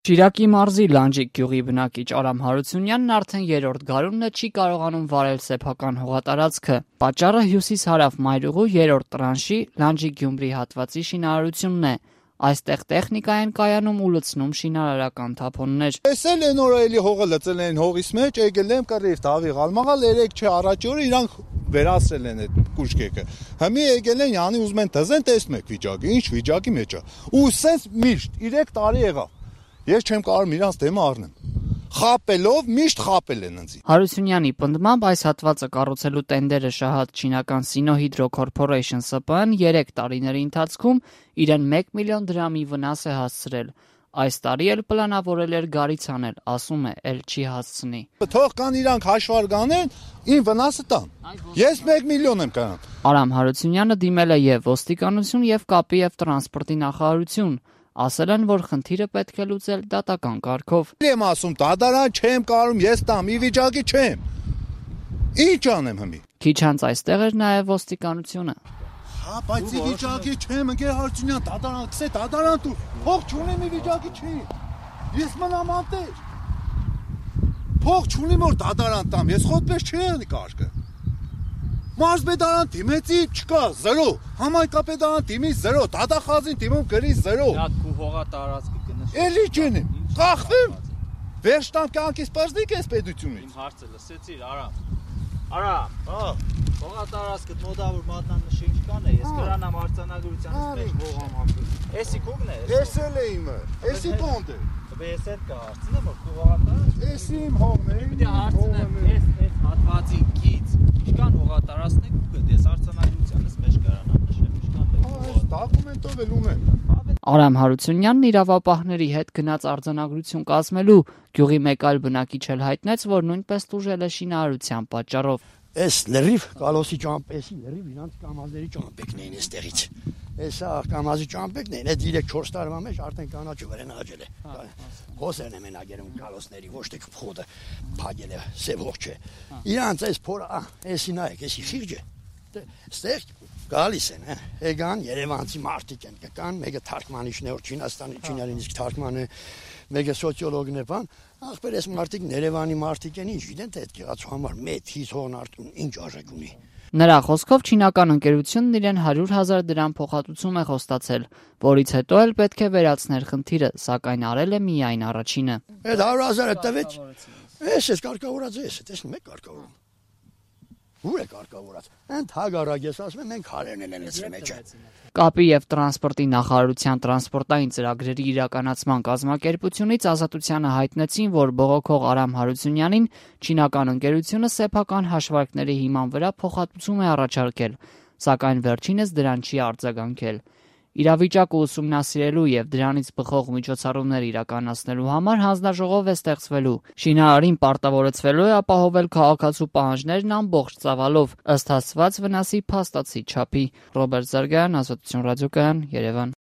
Շիրակի մարզի Լանջիկ գյուղի բնակիչ Արամ Հարությունյանն արդեն երրորդ գարունն է չի կարողանում վարել սեփական հողատարածքը։ Պատճառը հյուսիս-հարավ մայրուղու երրորդ տրանշի Լանջիկ-Գյումրի հատվածի շինարարությունն է։ Այստեղ տեխնիկա են կայանում ու լցնում շինարարական թափոններ։ Տեսել են որ էլի հողը լցել են հողից մեջ, եկել եմ կռիվ տավի գալմաղալ 3 չէ առաջ օրը իրանք վերացրել են այդ կուշկեքը։ Հիմա եկել են յանի ուզում են դզեն տեսնում եք վիճակը, ինչ վիճակի մեջ է։ Ու սենց միշտ 3 տարի եղավ։ Ես չեմ կարող իրանց դեմը առնեմ։ Խապելով միշտ խապել են ինձ։ Հարությունյանի պնդմամբ այս հատվածը կառուցելու տենդերը շահած չինական Sinohydro Corporation ՍՊԸ-ն 3 տարիների ընթացքում իրեն 1 միլիոն դրամի վնաս է հասցրել։ Այս տարի էլ պլանավորել էր գարից անել, ասում է, էլ չի հասցնի։ Թող կան իրանք հաշվարկ անեն, ին վնասը տան։ Ես 1 միլիոն եմ կանան։ Արամ Հարությունյանը դիմել է եւ ոստիկանություն եւ կապի եւ տրանսպորտի նախարարություն։ Ասել են, որ խնդիրը պետք է լուծել դատական կարգով։ Եմ ասում, դատարան չեմ կարում, ես տամ, ի վիճակի չեմ։ Ինչ անեմ հիմի։ Քիչ անց այստեղ էր նաեւ ոստիկանությունը։ Հա, բայց ի վիճակի չեմ, ընկեր Հարությունյան, դատարան, գցե դատարան դու։ Փող չունեմ, ի վիճակի չի։ Ես մնամ անտեր։ Փող չունեմ որ դատարան տամ, ես խոտպես չի կարգը։ Մարզպետարան դիմեցի չկա 0, համայնքապետարան դիմի 0, դատախազին դիմում գրի 0։ Հատ քու հողա տարածքը կնշի։ Էլի չենեմ, կախվեմ։ Վերջտամ կյանքից պարզնիկ ես պետությունից։ Իմ հարցը լսեցիր, Արամ, հա, հողա տարածքը մոդավոր մատնանշի ինչ կան է, ես կրանամ արձանագրությանից մեջ հողամ ապրում։ Էսի քուգն է։ Էսել է իմը, էսի կոնդ է։ Ես էլ կա հարցնեմ, որ քու հողա տարածքը։ Էսի իմ հողն է։ Պիտի հարցնեմ, այս հատվածի գից ինչքան հողա տարածքն է քուգը, ես արձանագրությանից մեջ կրանամ նշեմ, ինչքան է։ Դոկումենտով էլ ունեմ։ Արամ Հարությունյանն իրավապահների հետ գնաց արձանագրություն կազմելու, գյուղի մեկ այլ բնակիչ էլ հայտնեց, որ նույնպես տուժել է շինարարության պատճառով։ Այս լրիվ կալոսի ճամպեսի լրիվ իրանց կամազների ճամպեկն էին այստեղից։ Էսա կամազի ճամպեկն էին, այդ 3-4 տարվա մեջ արդեն կանաչը վրան աջել է։ Հոսերն են մենագերում կալոսների, ոչ թե փոխը փագել է, սև հող չէ։ Իրանց այս փորը, էսի նայեք, էսի խիղճը։ Ստեղ գալիս են, եկան Երևանցի մարդիկ են, կան, մեկը թարգմանիչն է, որ Չինաստանի չիներին իսկ թարգման է, մեկը սոցիոլոգն է, բան, ախպեր այս մարդիկ Երևանի մարդիկ են, ինչ գիտեն, թե այդ գեղացու համար մեծ հիս հողն արտուն ինչ արժեք ունի։ Նրա խոսքով չինական ընկերությունն իրեն 100,000 դրամ փոխհատուցում է խոստացել, որից հետո էլ պետք է վերացներ խնդիրը, սակայն արել է միայն առաջինը։ Այդ 100,000-ը տվեց, ես կարգավորած ես, տեսնում եք կարգավորում։ Ուր է կարգավորած։ Անդ հագարակ ես ասում եմ մենք հարերն են լցրել մեջը։ Կապի եւ տրանսպորտի նախարարության տրանսպորտային ծրագրերի իրականացման կազմակերպությունից Ազատությանը հայտնեցին, որ բողոքող Արամ Հարությունյանին չինական ընկերությունը սեփական հաշվարկների հիման վրա փոխհատուցում է առաջարկել, սակայն վերջինս դրան չի արձագանքել։ Իրավիճակը ուսումնասիրելու եւ դրանից բխող միջոցառումներ իրականացնելու համար հանձնաժողով է ստեղծվելու։ Շինարարին պարտավորեցվելու է ապահովել քաղաքացու պահանջներն ամբողջ ծավալով, ըստ հասցված վնասի փաստացի չափի։ Ռոբերտ Զարգյան, Ազատություն ռադիոկայան, Երևան։